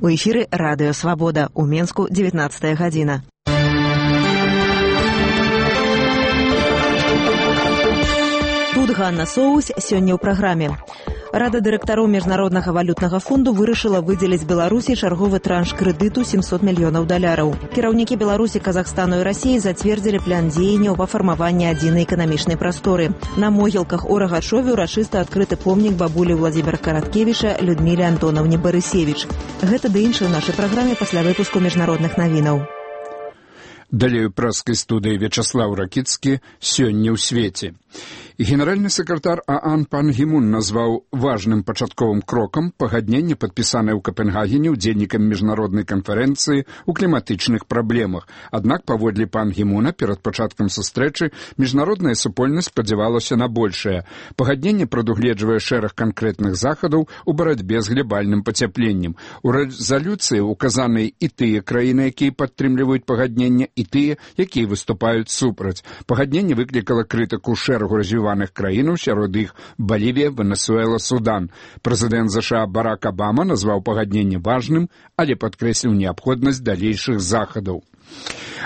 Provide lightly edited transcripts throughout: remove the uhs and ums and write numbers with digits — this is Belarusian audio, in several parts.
У эфіры радыё «Свабода». У Менску 19 гадзіна. Тут Ганна Соус сёння ў праграме. Рада дырэктароў Міжнароднага валютнага фонду вырашыла выдзеліць Беларусі чарговы транш крэдыту $700 мільёнаў. Кіраўнікі Беларусі, Казахстану і Расіі зацвердзілі план дзеянняў па фармаванні адзінай эканамічнай прасторы. На могілках у Рагачове ўрачыста адкрыты помнік бабулі Владзіміра Караткевіча Людміле Антонаўне Барысевіч. Гэта ды іншае ў нашай праграме пасля выпуску міжнародных навінаў. Далее у праскай студыі Вячаслаў Ракіцкі сёння ў свеце. Генеральны сакратар ААН Пан Гі Мун назваў важным пачатковым крокам пагадненне, падпісанае ў Капенгагене удзельнікам міжнароднай канферэнцыі ў кліматычных праблемах. Аднак, паводле Пан Гі Муна, перад пачаткам сустрэчы міжнародная супольнасць спадзявалася на большае. Пагадненне прадугледжвае шэраг канкрэтных захадаў у барацьбе з глобальным пацяпленнем. У рэзалюцыі указаны і тыя краіны, якія падтрымліваюць пагадненне, і тыя, якія выступаюць супраць. Пагадненне выклікала крытыку шэрагу развіваных краінаў, сярод іх Балівія, Венесуэла, Судан. Прэзідэнт ЗША Барак Абама назваў пагадненне важным, але падкрэсліў неабходнасць далейшых захадаў.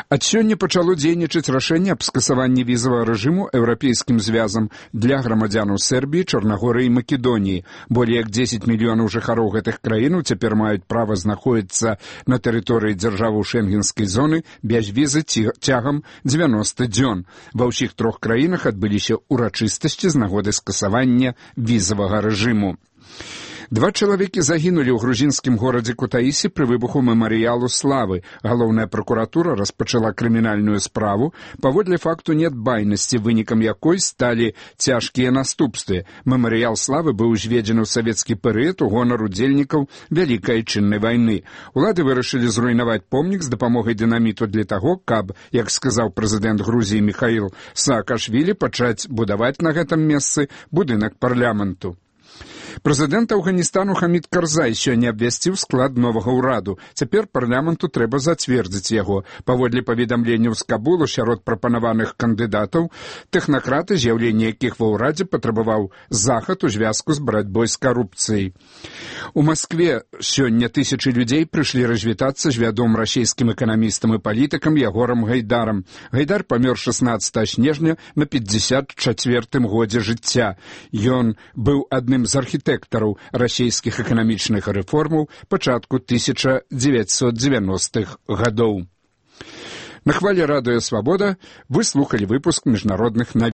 Ад сёння пачало дзейнічаць рашэнне аб скасаванні візавага рэжыму еўрапейскім звязам для грамадзянаў Сербіі, Чарнагорыі і Македоніі. Болей як 10 мільёнаў жыхароў гэтых краінаў цяпер маюць права знаходзіцца на тэрыторыі дзяржаваў шэнгенскай зоны без візы цягам 90 дзён. Ва ўсіх трох краінах адбыліся ўрачыстасці з нагоды скасавання візавага рэжыму. 2 чалавекі загінулі ў грузінскім горадзе Кутаісі пры выбуху мемарыялу славы. Галоўная пракуратура распачала крымінальную справу паводле факту нядбайнасці, вынікам якой сталі цяжкія наступствы. Мемарыял славы быў узведзены ў савецкі перыяд у гонар удзельнікаў Вялікай Айчыннай вайны. Улады вырашылі зруйнаваць помнік з дапамогай дынаміту для таго, каб, як сказаў прэзідэнт Грузіі Міхаіл Саакашвілі, пачаць будаваць на гэтым месцы будынак парламенту. Прэзідэнт Афганістану Хамід Карзай сёння абвясціў склад новага ўраду. Цяпер парламенту трэба зацвердзіць яго. Паводле паведамленняў з Кабулу, сярод прапанаваных кандыдатаў, тэхнакраты, з'яўленне якіх ва ўрадзе патрабаваў захад у звязку з барацьбой з карупцыяй. У Маскве сёння тысячы людзей прыйшлі развітацца з вядомым расійскім эканамістам і палітыкам Ягорам Гайдарам. Гайдар памёр 16 снежня на 54-м годзе жыцця. Ён быў адным з архітэктараў расійскіх эканамічных рэформаў пачатку 1990-х гадоў. На хвале радыё «Свабода» вы слухалі выпуск міжнародных навін.